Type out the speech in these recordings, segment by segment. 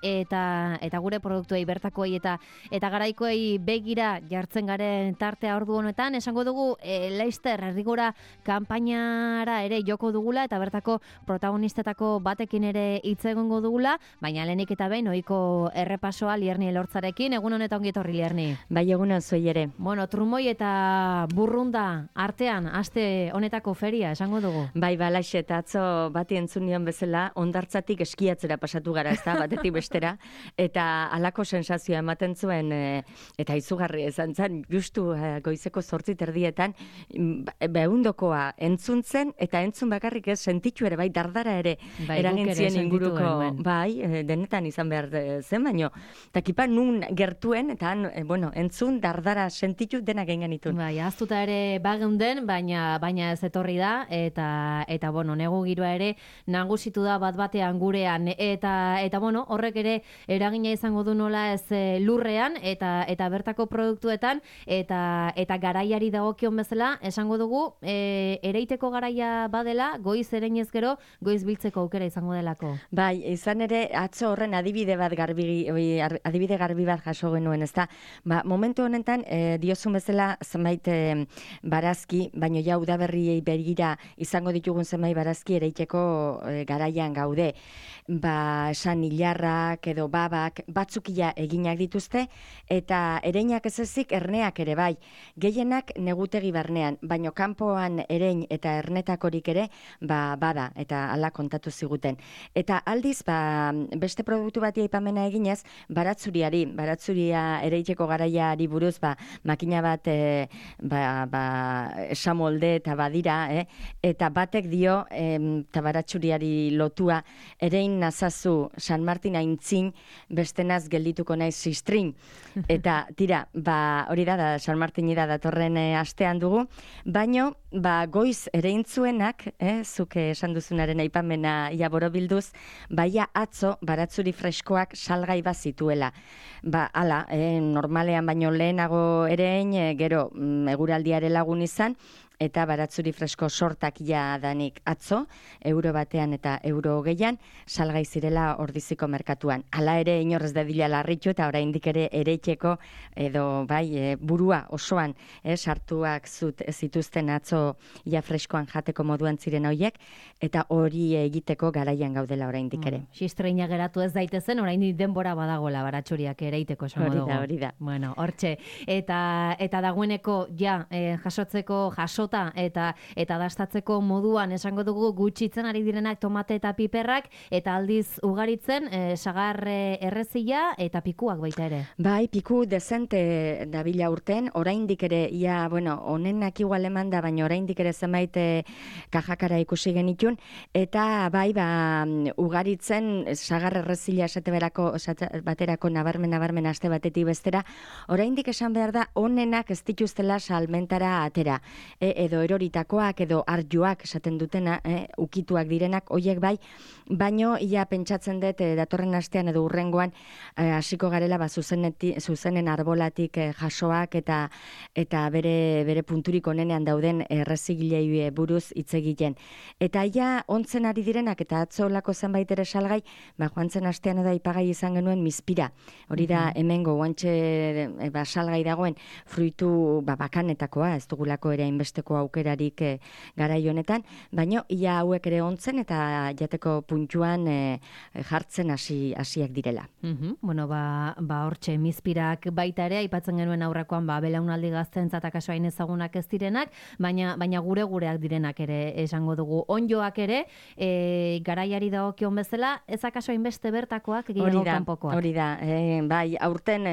eta gure produktuei bertakoei eta garaikoei begira jartzen garen tartea ordu honetan, esango dugu Leicester Errigora kanpainara ere joko dugula eta bertako protagonistetako batekin ere hitz egongo dugula, baina lehenik eta behin ohiko errepasoa Lierni Elortzarekin. Egun honetan ongi etorri, Lierni. Bai, egunon zuei ere. Bueno, trumoi eta burrunda artean aste honetako feria esango dugu. Bai, balaxe, eta atzo bati entzun nion bezala, hondartzatik eskiatzera pasatu gara, ezta, batetik bestera, eta halako sensazioa ematen zuen, eta izugarri izan zen, justu goizeko 8:00 behundokoa entzun zen, eta entzun bakarrik ez, sentitu ere, bai, dardara ere, eragintzien inguruko, bai, denetan izan behar zen, baino, eta kipa nun gertuen, eta entzun, dardara sentitu denak egin genituen. Bai, aztuta ere bageunden, baina ez etorri da, eta negu giroa ere nagusitu da bat-batean gurean, eta horrek ere eragina izango du nola ez lurrean, eta bertako produktuetan, eta garaiari dagokion bezala, esango dugu, ereiteko garaia badela, goiz ereinez gero, goiz biltzeko aukera izango delako. Bai, izan ere, atzo horren adibide garbi bat jaso genuen, ezta? Momentu honetan, diozun bezala zenbait barazki, baino ja udaberriei begira izango ditugun zenbait barazki ereiteko garaian gaude. Esan hilarrak edo babak batzukia eginak dituzte, eta ereinak ez ezik erneak ere bai. Gehienak negutegi barnean, baino kanpoan erein eta ernetakorik ere bada, eta hala kontatu ziguten. Eta aldiz, beste produktu bati aipamena eginez, baratzuria ereiteko garaiari buruz, makina bat esamolde eta badira, eta batek dio, eta baratzuriari lotua, erein nazazu San Martin aintzin, bestenaz geldituko naiz sistrin. Eta tira, hori da San Martini da datorren astean dugu, baino, goiz ereintzuenak, zuke esan duzunaren aipamena bilduz, baia atzo baratzuri freskoak salgai bat zituela. Hala, normalean baino lehenago erein, gero eguraldiare lagun izan, eta baratzuri fresko sortak danik atzo, euro batean eta euro 20 salgai zirela Ordiziko merkatuan. Hala ere inorrez dadila larritu eta oraindik ere ereiteko edo burua osoan sartuak zituzten atzo freskoan jateko moduan ziren horiek, eta hori egiteko garaian gaudela oraindik ere. Xistreina geratu ez daitezen, oraindik denbora badagola baratzuriak ereiteko esango dugu. Hori da. Bueno, hortxe. Eta dagoeneko jasotzeko eta dastatzeko moduan esango dugu gutxitzen ari direnak tomate eta piperrak, eta aldiz ugaritzen sagar errezila eta pikuak baita ere. Bai, piku dezente dabila urten, oraindik ere, honenak igual eman da, baina oraindik ere zenbait kajakara ikusi genitun, eta ugaritzen sagar errezila baterako nabarmen aste batetik bestera, oraindik esan behar da, honenak ez dituztela salmentara atera, edo eroritakoak edo arjoak esaten dutena, ukituak direnak, hoiek bai, baino ia pentsatzen dut datorren astean edo urrengoan hasiko garela zuzenen arbolatik jasoak eta bere punturik onenean dauden errezigilei buruz hitz egiten. Eta ia ontzen ari direnak eta atzolako zenbait ere salgai, joan zen astean edo aipagai izan genuen mizpira. Hori da hemengo guantxe salgai dagoen fruitu bakanetakoa, ez dugulako ere hainbesteko aukerarik garai honetan, baino ia hauek ere ontzen eta jateko puntuan jartzen hasiak direla. Bueno, hortxe mizpirak baita ere, aipatzen genuen aurrekoan belaunaldi gaztentzat akaso hain ezagunak ez direnak, baina gureak direnak ere esango dugu. Onjoak ere, garaiari dagokion bezala, ez akaso hainbeste bertakoak gehiago kanpokoak. Hori da, bai, aurten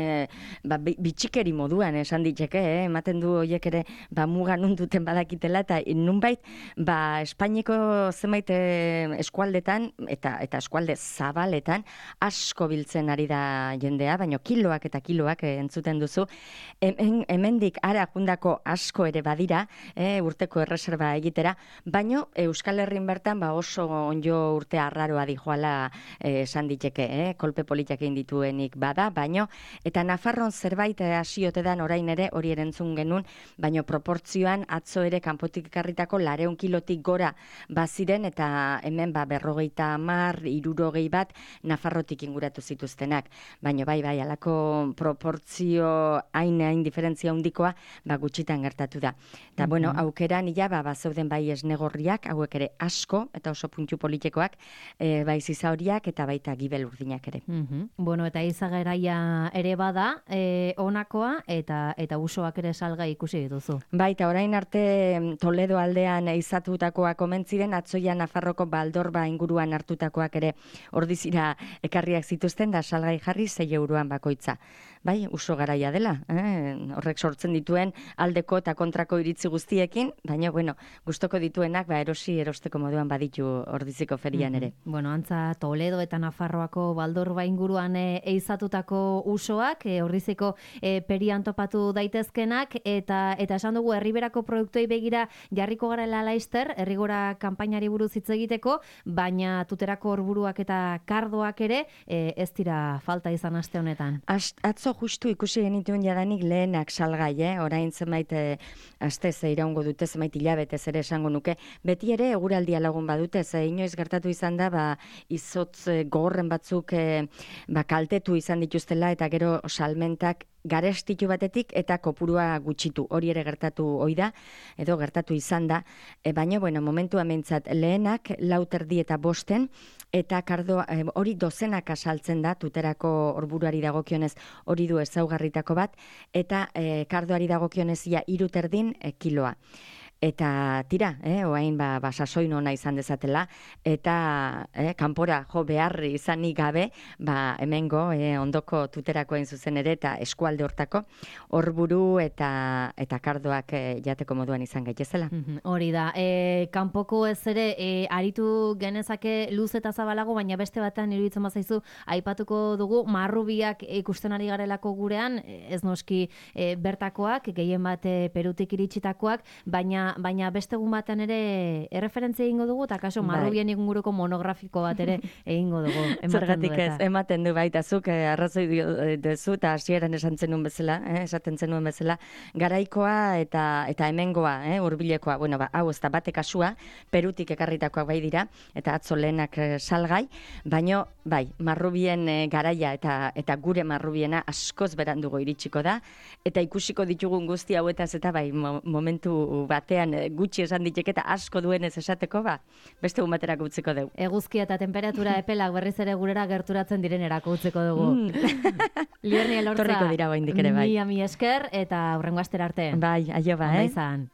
bitxikeri moduan esan diteke, ematen du horiek ere mugan unduten badakitela, eta nunbait, Espainiko zenbait eskualdetan, eta eskualde zabaletan, asko biltzen ari da jendea, baina kiloak eta kiloak entzuten duzu. Hemendik ara jundako asko ere badira, urteko erreserba egitera, baina Euskal Herrin bertan oso onjo urte arraroa dijoala esan diteke, kolpe politak egin dituenik bada, baina, eta Nafarron zerbait hasiote dan orain ere hori erentzun genuen, baina proportzioan atzo atzo ere kanpotik ekarritako 200 kilotik gora baziren, eta hemen 50, 60 bat Nafarrotik inguratu zituztenak. Baina bai, alako proportzio hain diferentzia handikoa gutxitan gertatu da. Eta, bueno, aukeran ia, bazeuden bai esnegorriak, hauek ere asko, eta oso puntu politikoak, bai zizauriak eta baita gibel urdinak ere. Bueno, eta izageraia ere bada, honakoa, eta usoak ere salgai ikusi dituzu. Bai, eta orain arte Toledo aldean izatutakoak omentziren, atzoia Nafarroko Baldorba inguruan hartutakoak ere ordizira ekarriak zituzten, da salgai jarri 6 euroan bakoitza. Bai, uso garaia dela, horrek sortzen dituen aldeko eta kontrako iritzi guztiekin, baina, bueno, gustoko dituenak, erosteko moduan baditu ordiziko ferian ere. Bueno, antza Toledo eta Nafarroako Baldorba inguruan eizatutako usoak, ordiziko perian topatu daitezkenak, eta esan dugu, herriberako produktuei begira jarriko garela laizter, herrigora kanpainari buruz hitz egiteko, baina tuterako orburuak eta kardoak ere ez dira falta izan aste honetan. Atzo justu ikusi genituen jadanik lehenak salgai, orain zenbait astez iraungo dute, zenbait hilabetez ere esango nuke. Beti ere eguraldia lagun badute, inoiz gertatu izan da, izotz gogorren batzuk kaltetu izan dituztela, eta gero salmentak garestitu batetik eta kopurua gutxitu. Hori ere gertatu ohi da, edo gertatu izan da, baina, bueno, momentu amentzat lehenak 4:30 eta 5, eta kardo hori dozenaka saltzen da, tuterako orburuari dagokionez hori du ezaugarritako bat, eta kardoari dagokionez ia 3:30 kiloa. Eta tira, oain sasoin ona izan dezatela, eta kanpora jo beharri izanik gabe, hemengo ondoko tuterakoen zuzen ere, eta eskualde hortako, horburu eta kardoak jateko moduan izan gaitezela. Hori da, kanpoko ez ere, aritu genezake luz eta zabalago, baina beste batean iruditzen bazaizu, aipatuko dugu, marrubiak ikusten ari garelako gurean, ez noski bertakoak, gehien bat Perutik iritsitakoak, baina beste egun batean ere erreferentzia egingo dugu, eta kaso marrubien inguruko monografiko bat ere egingo dugu. Zergatik ez, ematen du baita, zuk arrazoi duzu, eta hasieran esaten zenuen bezala, garaikoa eta hemengoa, hurbilekoa, bueno, hau ez da bate kasua, Perutik ekarritakoak bai dira, eta atzo lehenak salgai, baino, bai, marrubien garaia eta gure marrubiena askoz berandugo iritsiko da, eta ikusiko ditugun guzti hauetaz, eta bai, momentu batean gutxi esan ditek eta asko duenez esateko, beste egun baterako utziko dugu. Eguzkia eta temperatura epelak berriz ere gurera gerturatzen direnerako utziko dugu. Lierni Elortza, torriko dira oraindik ere bai. Mi esker, eta hurrengo astera arte. Bai, aio ba, Ondo izan.